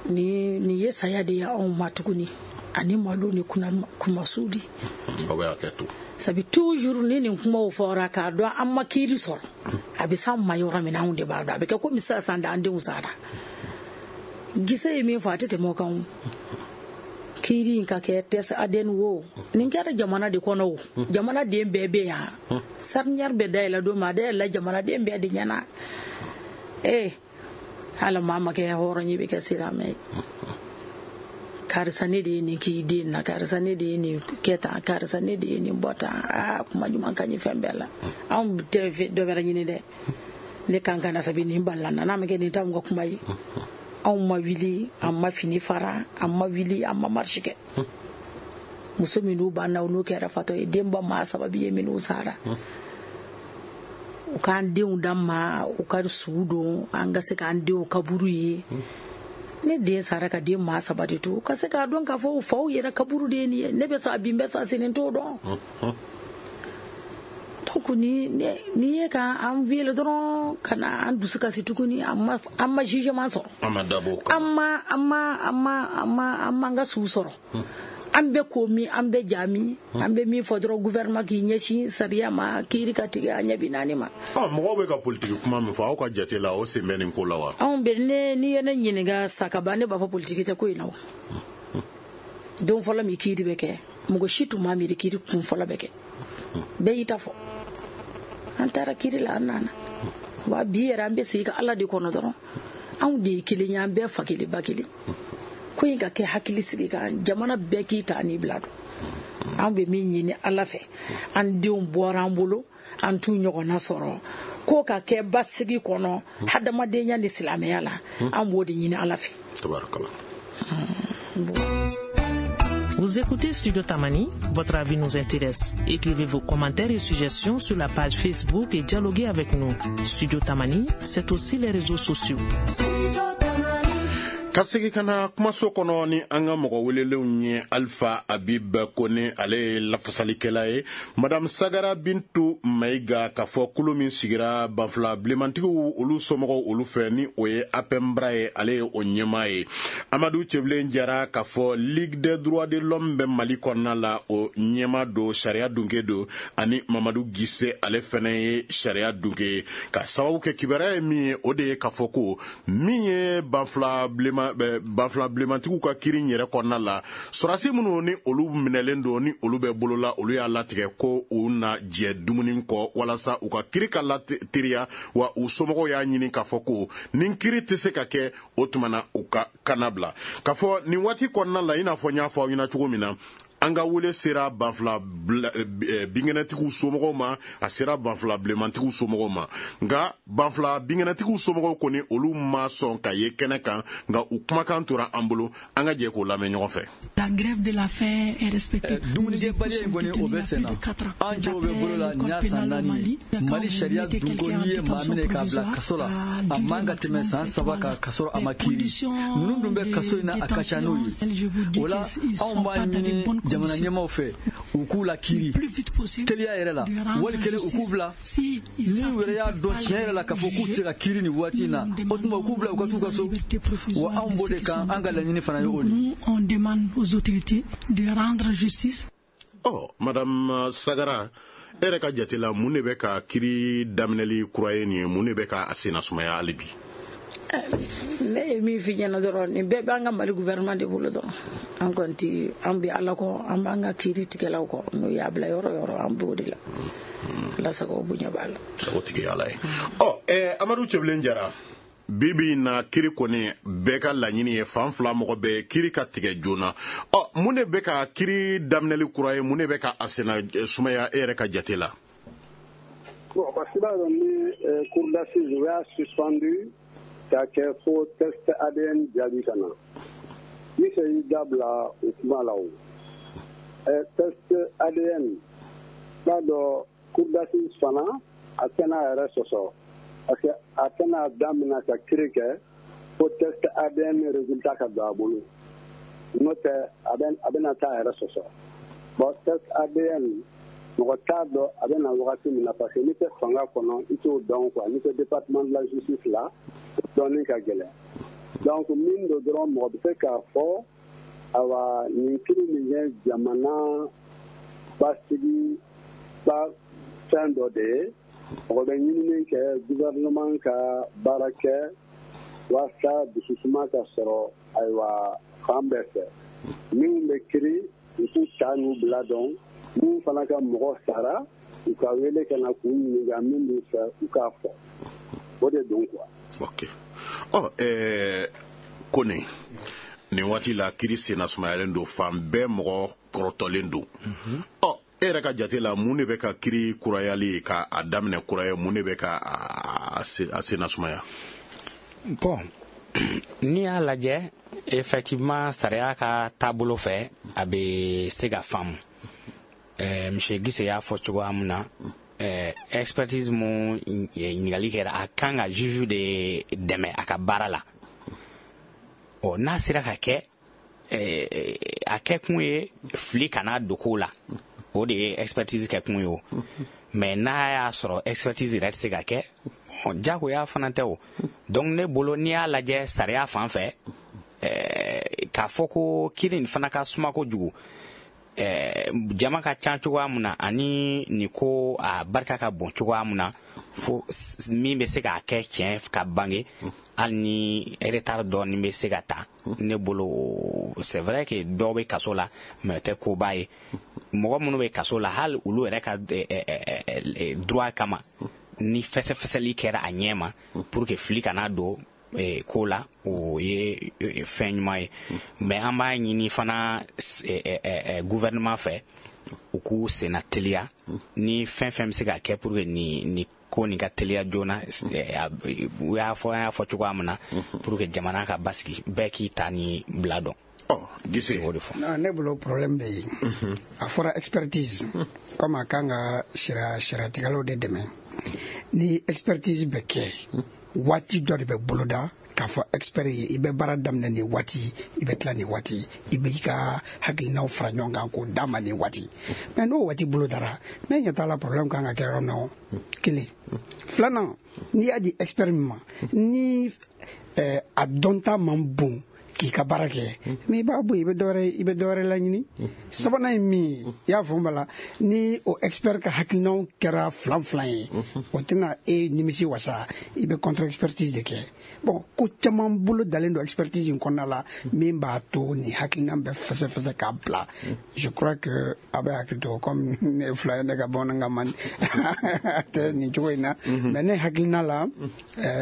Ni nin ye saya de ye anw ma tuguni, ani malo ni kumasuli.
Aw bɛ hakɛ to.
Sabi toujours ni nin kumaw fɔra k'a dɔn an ma kiiri sɔrɔ, a bɛ s'an ma yɔrɔ min na, anw de b'a dɔn. A bɛ kɛ komi sisan da an denw sara. Gise ye min fɔ, a tɛ tɛmɛ o kan o. Kiiri in ka kɛ test ADN wo, nin kɛra jamana de kɔnɔ o, jamanaden bɛɛ bɛ yan. Charnière bɛ dayɛlɛ don min, a dayɛlɛla jamanaden bɛɛ de ɲɛna. Ee ala, maa ma kɛ hɔrɔn ye, bɛ kɛ silamɛ ye. Karisa, ne de ye nin k'i den na, karisa, ne de ye nin kɛ tan, karisa, ne de ye nin bɔ tan. Aa, kuma ɲuman ka ɲi fɛn bɛɛ la. Anw tɛ dɔ wɛrɛ ɲini dɛ, ne kan ka na sabi nin balila na, n'a ma kɛ nin t'anw ka kuma ye. Anw ma wuli, an ma fini fara, an ma wuli, an ma marche kɛ. Muso minnu b'an na, olu kɛra fatɔ ye. Denba maa sababu ye minnu sara, u k'an denw d'an ma, u ka sugu don, an ka se k'an denw kaburu ye. Ne den sara ka den maa saba de to, u ka se k'a dɔn k'a fɔ u faw yɛrɛ kaburu de ye nin ye. Ne bɛ sa bi, n bɛ sa sini, n t'o dɔn. Donc ni ni ye ka an wele dɔrɔn ka na an dusu kasi tuguni, an ma jugement sɔrɔ.
An ma dabɔ o kama.
An ma an ka su sɔrɔ. An bɛ ko min, an bɛ ja min, an bɛ min fɔ dɔrɔn, gouvernement k'i ɲɛsin sariya ma, kiiri ka tigɛ a ɲɛ bi naani ma.
Ɔ, mɔgɔw bɛ ka politiki kuma min fɔ, aw ka jate la, o sen bɛ nin ko la wa?
Anw bɛ ne, n'i ye ne ɲininka sakaba, ne b'a fɔ politiki tɛ ko in na o. Don fɔlɔ min kiiri bɛ kɛ, mɔgɔ si tun ma miiri kiiri kun fɔlɔ bɛ kɛ. Bɛɛ y'i ta fɔ. An taara kiiri la, an nana wa bi yɛrɛ, an bɛ sigi ka Ala de kɔnɔ dɔrɔn. Anw de ye kelen ye, an bɛɛ fa kelen ba kelen. Ko in ka kɛ hakili sigi kan, jamana bɛɛ k'i ta n'i bila dɔn. An bɛ min ɲini Ala fɛ, an denw bɔra an bolo, an t'u ɲɔgɔnna sɔrɔ, ko ka kɛ basigi kɔnɔ, hadamadenya ni silamɛya la, an b'o de ɲini Ala fɛ.
Tabarakala.
Vous écoutez Studio Tamani, votre avis nous intéresse. Écrivez vos commentaires et suggestions sur la page Facebook et dialoguez avec nous. Studio Tamani, c'est aussi les réseaux sociaux.
Ka segi ka na kumaso kɔnɔ ni an ka mɔgɔ welelenw ye: Alpha Abib Kone, ale ye lafasalikɛla ye, Madame Sagara Bintu Mayiga, k'a fɔ kulu min sigira banfula bilenmantigiw olu somɔgɔw olu fɛ, ni o ye APEMBRA ye, ale ye o ɲɛmaa ye, Amadu Cɛbilen Jara, k'a fɔ Ligue des droits de l'homme bɛ Mali kɔnɔna la, o ɲɛmaa don, sariya dunke don, ani Mamadu Gise, ale fɛnɛ ye sariya dunke ye. Ka sababu kɛ kibaruya ye min ye, o de ye k'a fɔ ko min ye banfula bilenman, banfula bilenmantigiw ka kiiri yɛrɛ kɔnɔna la, sɔrɔdasi minnu ni olu minɛlen don, ni olu bɛ bolola, olu y'a latigɛ ko u na jɛ dumuni kɔ walasa u ka kiiri ka lateriya. Wa u somɔgɔw y'a ɲini k'a fɔ ko ni kiiri tɛ se ka kɛ, o tuma na u ka kana bila. K'a fɔ nin waati kɔnɔna la, i n'a fɔ n y'a fɔ aw ɲɛna cogo min na, an ka wele sera banfula binkɛnɛtigiw somɔgɔw ma, a sera banfula bilenmantigiw somɔgɔw ma, nka banfula binkɛnɛtigiw somɔgɔw kɔni, olu ma sɔn ka ye kɛnɛ kan, nka u kumakan tora an bolo. An ka jɛ k'o lamɛn ɲɔgɔn fɛ.
La grève de la faim est respectée.
Dumunikɛbaliya in kɔni, o bɛ sen na. An cɛw bɛ bolo la, nin y'a san 4 ye. Mali sariya dun ko n'i ye maa minɛ k'a bila kaso la, a man ka tɛmɛ san 3 kan ka sɔrɔ a ma kiiri. Ninnu dun bɛ kaso in na, a ka ca n'o ye. O la, anw b'a ɲini jamana ɲɛmaaw fɛ, u k'u la kiiri teliya yɛrɛ la, wali kelen u k'u bila. N'u yɛrɛ y'a dɔn tiɲɛ yɛrɛ la k'a fɔ k'u tɛ se ka kiiri nin waati in na, o tuma u k'u bila, u ka t'u ka so. Wa anw b'o de kan, an ka laɲini fana ye o de ye.
On demande aux autorités de rendre justice.
Ɔ, Madame Sagara, e yɛrɛ ka jate la, mun de bɛ ka kiiri daminɛli kura ye nin ye? Mun de bɛ ka a senna sumaya hali bi?
Ne ye min f'i ɲɛna dɔrɔn, nin bɛɛ b'an ka Mali gouvernement de bolo dɔrɔn. An kɔni ti, an bɛ Ala kɔ, an b'an ka kiiri tigɛlaw kɔ. N'u y'a bila yɔrɔ yɔrɔ, an b'o de la. Ala sago, bonya b'a la.
O tigi ye Ala ye. Ɔ, Amadu Cɛbilen Jara, bi bi in na, kiiri kɔni, bɛɛ ka laɲini ye, fan fila mɔgɔ bɛɛ, kiiri ka tigɛ joona. Ɔ, mun de bɛ ka kiiri daminɛli kura ye? Mun de bɛ ka a senna sumaya, e yɛrɛ ka jate la?
Bon, parce que b'a dɔn ni cour d'assises u y'a suspendu k'a kɛ fo test ADN jaabi ka na, Mise y'i da bila o kuma la. O test ADN, b'a dɔn cour d'assises fana a tɛna a yɛrɛ sɔsɔ, parce que a tɛna daminɛ ka kiiri kɛ fo test ADN résultat ka don a bolo, n'o tɛ a bɛna taa a yɛrɛ sɔsɔ. Bon, test ADN, mɔgɔ t'a dɔn a bɛ na wagati min na, parce que n'i tɛ fanga kɔnɔ, i t'o dɔn quoi. N'i tɛ département de la justice la, dɔɔnin ka gɛlɛn. Donc min don dɔrɔn, mɔgɔ bɛ se k'a fɔ, awa, nin kiiri nin ye jamana basigi. ba fɛn dɔ de ye. Mɔgɔ bɛ ɲinini kɛ gouvernement ka baara kɛ walasa dususuma ka sɔrɔ, ayiwa, fan bɛɛ fɛ. Minnu bɛ kiri, u k'u ta n'u bila dɔn. Minnu fana ka mɔgɔ sara, u ka wele ka na k'u ɲininka min b'u fɛ, u k'a fɔ. O de don quoi.
Ok, ɔ Kone, nin waati la kiri senna sumayalen don, fan bɛɛ mɔgɔ kɔrɔtɔlen don. Ɔ e yɛrɛ ka jate la, mun de bɛ ka kiri kurayali ka a daminɛ kura ye? Mun de bɛ ka a senna sumaya?
Bon, n'i y'a lajɛ, effectivement, sariya ka taabolo fɛ, a bɛ se ka faamu. Monsieur Gise y'a fɔ cogoya min na, expertise mun ɲininkali kɛra, a kan ka juge de dɛmɛ a ka baara la. Ɔ n'a sera ka kɛ, a kɛ kun ye fili kana don ko la, o de ye expertise kɛ kun ye. O mais n'a y'a sɔrɔ expertise yɛrɛ tɛ se ka kɛ, jagoya fana tɛ o. Donc ne bolo, n'i y'a lajɛ sariya fan fɛ, k'a fɔ ko kiiri nin fana ka suma kojugu, jama ka ca cogoya min na, ani nin ko a barika ka bon cogoya min na, fo min bɛ se k'a kɛ tiɲɛ ka bange, hali ni retard dɔɔni bɛ se ka ta. Ne bolo, c'est vrai que dɔw bɛ kaso la, mais o tɛ koba ye. Mɔgɔ minnu bɛ kaso la, hali olu yɛrɛ ka droit kama, ni fɛsɛfɛsɛli kɛra a ɲɛ ma pour que fili kana don ko la, o ye fɛn ɲuman ye. Mais an b'a ɲini fana gouvernement fɛ, u k'u senna teliya ni fɛn fɛn bɛ se ka kɛ pour que nin ko nin ka teliya joona. U y'a fɔ, an y'a fɔ cogoya min na, pour que jamana ka basigi, bɛɛ k'i ta ni bila dɔn.
Ɔ Gise.
O de fɔ.
Ne bolo, problème bɛ yen. A fɔra expertise comme a kan ka sariyatigɛlaw de dɛmɛ. Ni expertise bɛ kɛ, waati dɔ de bɛ boloda k'a fɔ expert ye: i bɛ baara daminɛ nin waati, i bɛ tila nin waati, i b'i ka hakilinaw fara ɲɔgɔn kan k'o d'a ma nin waati. Mais n'o waati bolodara, ne ɲɛ t'a la problème kan ka kɛ yɔrɔ min na. O kelen. Filanan, n'i y'a di expert min ma, ni a dɔnta man bon k'i ka baara kɛ, mais i b'a bɔ yen, i bɛ dɔ wɛrɛ laɲini. Sabanan ye min ye, i y'a faamu la, ni o expert ka hakilinaw kɛra filan filan ye, o tɛna e nimisi wasa, i bɛ contre expertise de kɛ. Bon, ko caman bolo dalen don expertise in kɔnɔna la min b'a to nin hakilina bɛ fɛsɛfɛsɛ k'a bila. Je crois que a bɛ hakili to, comme ne ye fila ye, ne ka bamanankan man tɛ nin cogo in na. Mais ne hakilina la,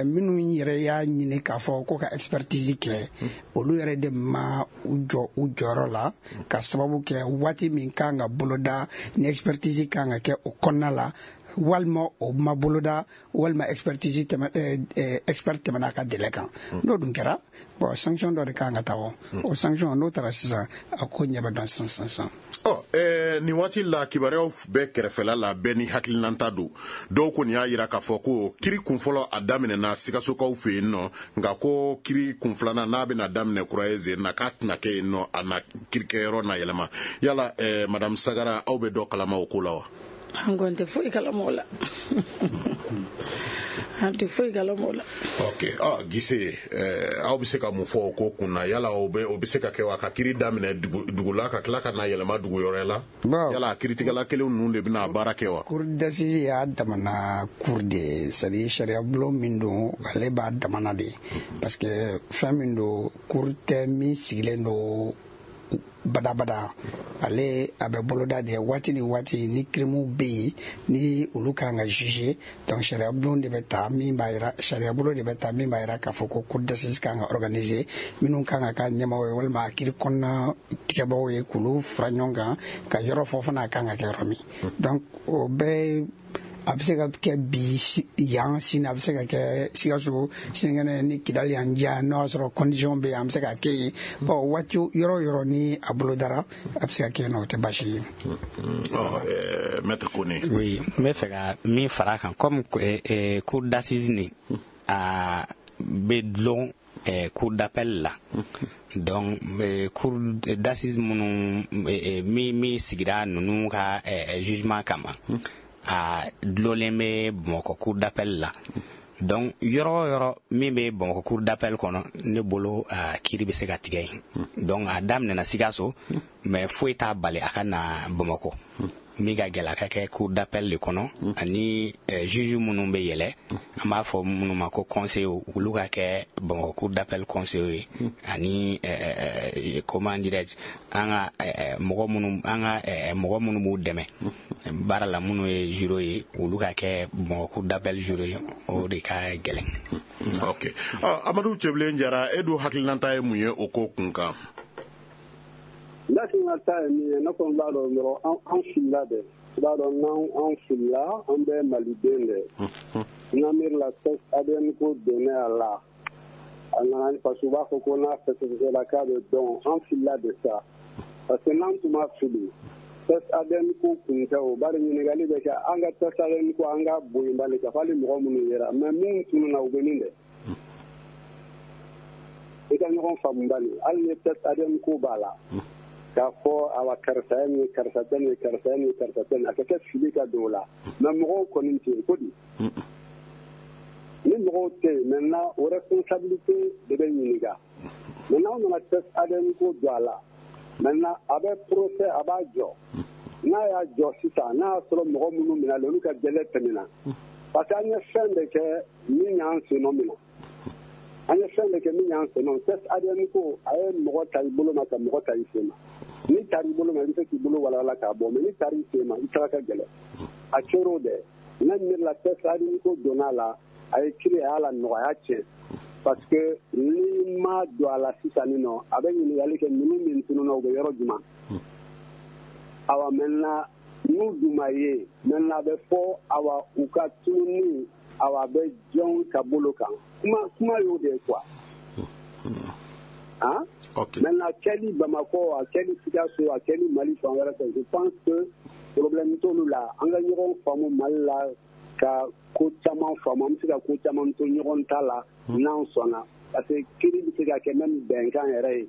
minnu yɛrɛ y'a ɲini k'a fɔ ko ka expertise kɛ, olu yɛrɛ de ma u jɔ u jɔyɔrɔ la, ka sababu kɛ waati min kan ka boloda ni expertise kan ka kɛ o kɔnɔna la, walima o ma boloda, walima expertise tɛmɛ expert tɛmɛna a ka délai kan. N'o dun kɛra, bon, sanction dɔ de kan ka taa. O sanction n'o taara sisan, a ko ɲɛ bɛ dɔn sisan sisan sisan.
Ɔ nin waati la, kibaruyaw bɛɛ kɛrɛfɛla la, bɛɛ ni hakilinanta don. Dɔw kɔni y'a yira k'a fɔ ko kiri kunfɔlɔ a daminɛna Sikasokaw fɛ yen nɔ, nka ko kiri kun filanan n'a bɛna daminɛ kura ye zen na, k'a tɛna kɛ yen nɔ, a na kirikɛyɔrɔ na yɛlɛma. Yala madame Sagara, aw bɛ dɔ kalama o ko la wa?
An kɔni tɛ foyi kalama o la, an tɛ foyi kalama o la.
Ok, ah Gise, aw bɛ se ka mun fɔ o ko kun na? Yala o bɛ se ka kɛ wa, ka kiri daminɛ dugu la, ka tila ka na yɛlɛma dugu wɛrɛ la? Yala a kiritigɛla kelen ninnu de bɛna baara kɛ wa?
Cour d'assises y'a damana cour de ye, c'est à dire sariya bulon min don, ale b'a damana de, parce que fɛn min don, cour tɛ min sigilen don badabada. Ale a bɛ boloda de waati ni waati ni kirimuw bɛ yen, ni olu kan ka juger. Donc sariya bulon de bɛ ta min b'a yira, sariya bulon de bɛ ta min b'a yira k'a fɔ ko cour d'assises kan ka organiser, minnu kan ka k'a ɲɛmaaw ye walima a kiri kɔnɔna tigɛbaaw ye, k'olu fara ɲɔgɔn kan ka yɔrɔ fɔ fana a kan ka kɛ yɔrɔ min. Donc o bɛɛ, a bɛ se ka kɛ bi yan, sini a bɛ se ka kɛ Sikaso, sinikɛnɛ ni Kidali yan diya, n'o y'a sɔrɔ condition bɛ yen, an bɛ se ka kɛ yen. Bon, waati yɔrɔ o yɔrɔ ni a bolodara, a bɛ se ka kɛ yen nɔ, o tɛ baasi ye.
Ɔ maître Kone.
Oui, n bɛ fɛ ka min fara a kan, comme cour d'assises nin a bɛ dulon cour d'appel la. Donc cour d'assises minnu min sigira ninnu ka jugement kama, a dulonlen bɛ Bamakɔ cour d'appel la. Donc yɔrɔ o yɔrɔ min bɛ Bamakɔ cour d'appel kɔnɔ, ne bolo, a kiiri bɛ se ka tigɛ yen. Donc a daminɛna Sikaso, mais foyi t'a bali a ka na Bamakɔ. Min ka gɛlɛ, a ka kɛ cour d'appel de kɔnɔ, ani juge minnu bɛ yɛlɛ, an b'a fɔ minnu ma ko conseiller, olu ka kɛ Bamakɔ cour d'appel conseiller ye, ani comment dirais-je, an ka mɔgɔ minnu, an ka mɔgɔ minnu b'u dɛmɛ baara la, minnu ye juré ye, olu ka kɛ Bamakɔ cour d'appel juré ye. O de ka gɛlɛn.
Ok, Amadu Cɛbilen Jara, e dun hakilinata ye mun ye o ko kun kan?
Ne hakilinata ye min ye, ne kɔni b'a dɔn dɔrɔn, an filila dɛ. I b'a dɔn, n'an an filila, an bɛ maliden dɛ. N'an miiri la, test ADN ko donnen a la, a nana parce que u b'a fɔ ko n'a fɛsɛfɛsɛla k'a bɛ dɔn. An filila de sa, parce que n'an tun ma fili, test ADN ko kun tɛ o. Bari ɲininkali bɛ kɛ, an ka test ADN ko, an ka bonya bali ka fɔ hali mɔgɔ minnu yera, mais minnu tununna, u bɛ min dɛ? I ka ɲɔgɔn faamu bali, hali ni test ADN ko b'a la, k'a fɔ awa karisa ye nin ye, karisa tɛ nin ye, karisa ye nin ye, karisa tɛ nin ye, a ka kɛ fili ka don o la. Mais mɔgɔw kɔni tɛ yen ko di? Ni mɔgɔw tɛ yen maintenant, o responsabilité de bɛ ɲininka. Maintenant, an nana test ADN ko don a la. Maintenant, a bɛ procès, a b'a jɔ. N'a y'a jɔ sisan, n'a y'a sɔrɔ mɔgɔ minnu minɛna, olu ka délai tɛmɛna, parce que an ye fɛn de kɛ min y'an sennɔ minɛ, an ye fɛn de kɛ min y'an sennɔ. Test ADN ko, a ye mɔgɔ ta i bolo ma ka mɔgɔ ta i sen ma. N'i taara i bolo ma, i bɛ se k'i bolo walawala k'a bɔ, mais n'i taara i sen ma, i taga ka gɛlɛn. A kɛra o dɛ. Ne miiri la, test ADN ko donna a la, a ye kiiri, a y'a la nɔgɔ, a y'a tiɲɛ, parce que n'i ma don a la sisan nin nɔ, a bɛ ɲininkali kɛ, ninnu min tununna, u bɛ yɔrɔ jumɛn? Awa maintenant, n'u dun ma ye maintenant, a bɛ fɔ awa u ka tununni, awa a bɛ jɔn ka bolo kan? Kuma kuma y'o de ye quoi, hein. Maintenant, kɛli Bamakɔ, a kɛli Sikaso, a kɛli Mali fan wɛrɛ fɛ, je pense que problème t'olu la. An ka ɲɔgɔn faamu Mali la, ka ko caman faamu, an bɛ se ka ko caman to ɲɔgɔn ta la n'an sɔnna, parce que kiiri bɛ se ka kɛ même bɛnkan yɛrɛ ye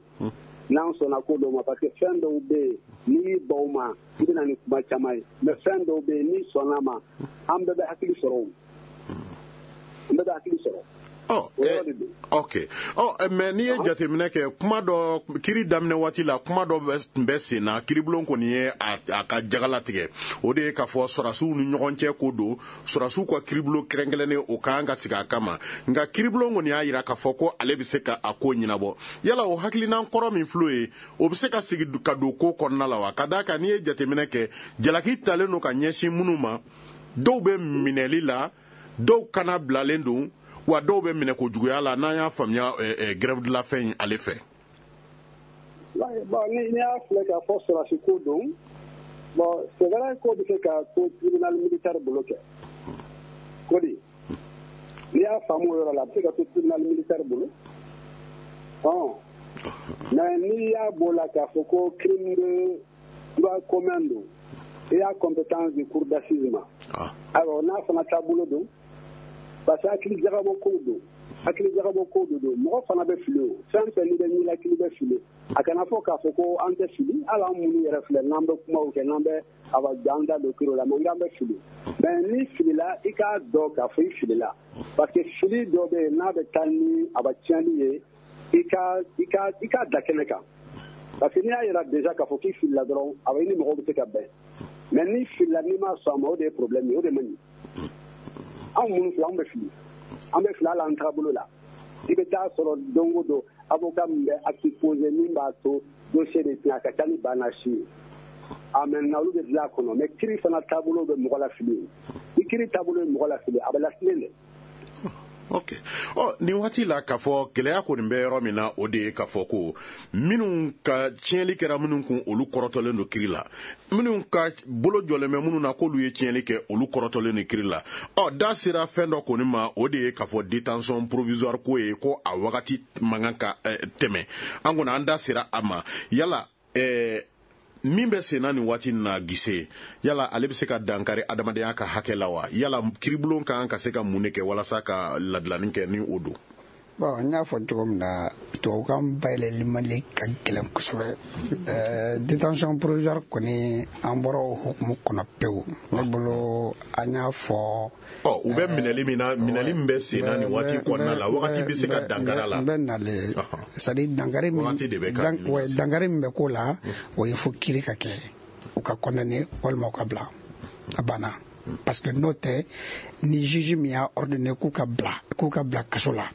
n'an sɔnna ko dɔw ma, parce que fɛn dɔw bɛ yen, n'i y'i ban o ma, i bɛ na ni kuma caman ye. Mais fɛn dɔw bɛ yen, n'i sɔnna ma, an bɛɛ bɛ hakili sɔrɔ o, an bɛɛ bɛ hakili sɔrɔ.
Ok, ɔ mais n'i ye jateminɛ kɛ, kuma dɔ kiri daminɛ waati la, kuma dɔ tun bɛ sen na, kiribulon kɔni ye a ka jagala tigɛ, o de ye k'a fɔ sɔrɔdasiw ni ɲɔgɔn cɛ ko don, sɔrɔdasiw ka kiribulon kɛrɛnkɛrɛnnen, o kan ka sigi a kama. Nka kiribulon kɔni y'a jira k'a fɔ ko ale bɛ se ka a ko ɲɛnabɔ. Yala o hakilinan kɔrɔ min filɛ ye, o bɛ se ka sigi ka don ko kɔnɔna la wa? Ka d'a kan, n'i ye jateminɛ kɛ, jalaki talen don ka ɲɛsin minnu ma, dɔw bɛ minɛli la, dɔw kana bilalen don wa, dɔw bɛ minɛ kojuguya la, n'an y'a faamuya grève de la faim in ale fɛ.
Bon, ni y'a filɛ k'a fɔ sɔrɔdasi ko don, bon, c'est vrai, ko bɛ se ka to tribunal militaire bolo kɛ ko di. N'i y'a faamu o yɔrɔ la, a bɛ se ka to tribunal militaire bolo. Ɔn, mais n'i y'a b'o la k'a fɔ ko crime de droit commun don, i y'a compétence du cour d'assises ma. Ayiwa, n'a fana taabolo don, parce que hakili jagabɔ kow don, hakili jagabɔ kow de don. Mɔgɔ fana bɛ fili o fɛn fɛn, n'i bɛ ɲɛnakili bɛ fili. A kana fɔ k'a fɔ ko an tɛ fili. Hali an minnu yɛrɛ filɛ, n'an bɛ kumaw kɛ, n'an bɛ awa an da don kiri la, mais k'an bɛ fili. Mais n'i filila, i k'a dɔn k'a fɔ i filila, parce que fili dɔ bɛ yen, n'a bɛ taa ni a ba tiɲɛni ye, i ka da kɛnɛ kan, parce que n'i y'a yira déjà k'a fɔ k'i filila dɔrɔn, awa i ni mɔgɔw bɛ se ka bɛn. Mais n'i filila, n'i ma sɔn a ma, o de ye problème ye, o de man ɲi. Anw minnu filɛ, anw bɛ fili, an bɛ fili hali an taabolo la. I bɛ taa sɔrɔ don o don, avocat min bɛ acte posé min b'a to dossier de tiɲɛ, a ka ca ni banna si ye. A maintenant, olu bɛ dilan a kɔnɔ. Mais kiiri fana taabolo bɛ mɔgɔ lafili. Ni kiiri taabolo ye mɔgɔ lafili, a bɛ lafili dɛ.
Ok, ɔ nin waati la, k'a fɔ gɛlɛya kɔni bɛ yɔrɔ min na, o de ye k'a fɔ ko minnu ka tiɲɛli kɛra minnu kun, olu kɔrɔtɔlen don kiri la. Minnu ka bolo jɔlen bɛ minnu na k'olu ye tiɲɛli kɛ, olu kɔrɔtɔlen don kiri la. Ɔ da sera fɛn dɔ kɔni ma, o de ye k'a fɔ détention provisoire ko ye, ko a wagati man kan ka tɛmɛ. An kɔni an da sera a ma. Yala min bɛ sen na nin waati in na, Gise, yala ale bɛ se ka dankari adamadenya ka hakɛ la wa? Yala kiribulon kan ka se ka mun de kɛ walasa ka ladilanni kɛ ni o don?
Bon, n y'a fɔ cogo min na, tubabukan bayɛlɛli mali ka gɛlɛn kosɛbɛ. Détention provisoire kɔni, an bɔra o hukumu kɔnɔ pewu ne bolo. An y'a fɔ.
Ɔ u bɛ minɛli min na, minɛli min bɛ sen na nin waati kɔnɔna la, wagati bɛ se ka dankari a la.
N bɛ nalen, c'est à dire dankari min
wagati de bɛ ka
dankari min bɛ k'o la, o ye fo kiiri ka kɛ. U ka condamné walima u ka bila, a banna. Parce que n'o tɛ, ni juge min y'a ordonné k'u ka bila kaso la,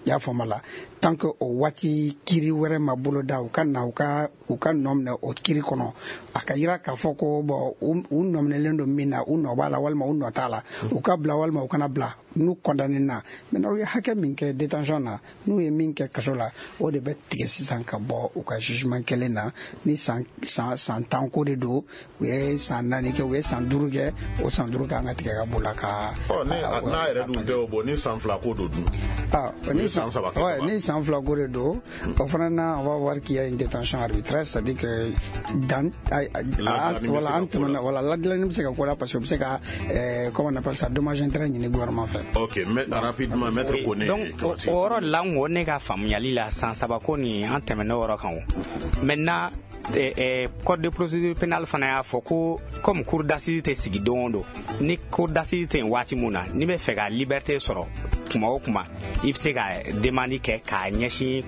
i y'a faamu la, tant que o waati kiiri wɛrɛ ma boloda, u ka na u ka nɔ minɛ o kiiri kɔnɔ, a ka yira k'a fɔ ko bon, u nɔ minɛlen don min na, u nɔ b'a la walima u nɔ t'a la, u ka bila walima u kana bila. N'u condamné na maintenant, u ye hakɛ min kɛ détention na, n'u ye min kɛ kaso la, o de bɛ tigɛ sisan ka bɔ u ka jugement kelen na. Ni san 10 ko de don, u ye san 4 kɛ, u ye san 5 kɛ, o san 5 kan ka tigɛ ka b'o la ka.
Ɔ, ni n'a yɛrɛ dun tɛ o, bɔ ni san 2 ko don dun?
Ah, ni
san 3 kɛ.
Ouais, ni san 2 ko de don, o fana na, on va voir qu'il y a une détention arbitraire, c'est-à-dire que dans voilà, an tɛmɛna, voilà, ladilanni bɛ se ka ko la, parce que u bɛ se ka comment on appelle ça, dommage intérêt ɲini gouvernement fɛ.
Ok, mais rapidement, maître Kone.
Donc o yɔrɔ de la, n ko ne ka faamuyali la, san 3 ko nin, an tɛmɛn'o yɔrɔ kan. O maintenant, code de procédure pénale fana y'a fɔ ko comme cour d'assises tɛ sigi don o don, ni cour d'assises tɛ yen waati mun na, n'i bɛ fɛ ka liberté sɔrɔ kuma o kuma, i bɛ se ka demande kɛ k'a ɲɛsin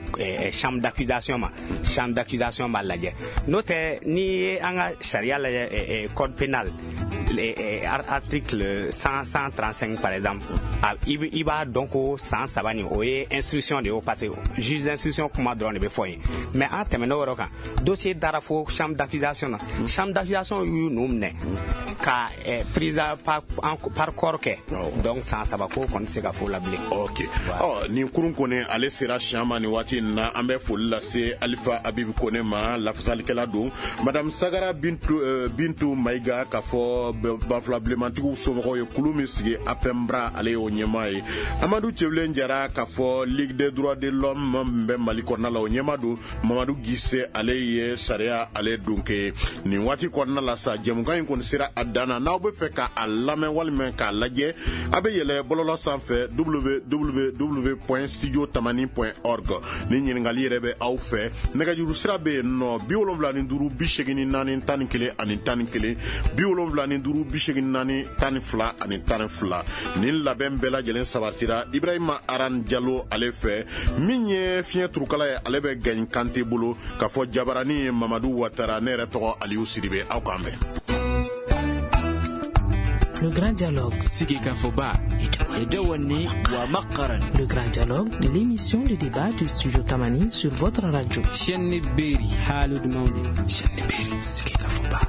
chambre d'accusation ma. Chambre d'accusation b'a lajɛ. N'o tɛ, n'i ye an ka sariya lajɛ, code pénal article 135 par exemple, i b'a dɔn ko san 3 nin, o ye instruction de ye o, parce que juge d'instruction kuma dɔrɔn de bɛ fɔ yen. Mais an tɛmɛn'o yɔrɔ kan, dossier dara fo chambre d'accusation na, chambre d'accusation y'u ninnu minɛ ka prise par corps kɛ. Donc san 3 ko kɔni tɛ se ka fɔ o la bilen.
Ok, ɔ, nin kurun kɔni, ale sera siɲɛ ma nin waati in na. An bɛ foli lase Alifa Abibu Kone ma, lafasalikɛla don, madame Sagara Bintu Mayiga, k'a fɔ banfula bilenmantigiw somɔgɔw ye, kulu min sigi APEMBRA, ale y'o ɲɛmaa ye. Amadu Cɛbilen Jara, k'a fɔ Ligue des droits de l'homme min bɛ Mali kɔnɔna la, o ɲɛmaa don. Mamadu Gise, ale ye sariya ale donke. Nin waati kɔnɔna la sa, jɛmukan in kɔni sera a dan na. N'aw bɛ fɛ k'a lamɛn walima k'a lajɛ, a bɛ yɛlɛ bɔlɔlɔ sanfɛ, www.studiotamani.org. Ni ɲininkali yɛrɛ bɛ aw fɛ, nɛgɛjuru sira bɛ yen nɔ: 75 84 11 ani 11, 75 84 12 ani 12. Nin labɛn bɛɛ lajɛlen sabatira Ibrahima Aran Jalo ale fɛ, min ye fiɲɛ turukala ye, ale bɛ Gaɲi Kante bolo, k'a fɔ jabarani ye Mamadu Watara. Ne yɛrɛ tɔgɔ Aliyu Sidibe. Aw k'an bɛn.
Le grand dialogue.
Sigikafɔba.
Le grand dialogue, de l'émission de débat du Studio Tamani sur votre radio.
Chaîne Berry. Chaîne Berry. Sigikafɔba.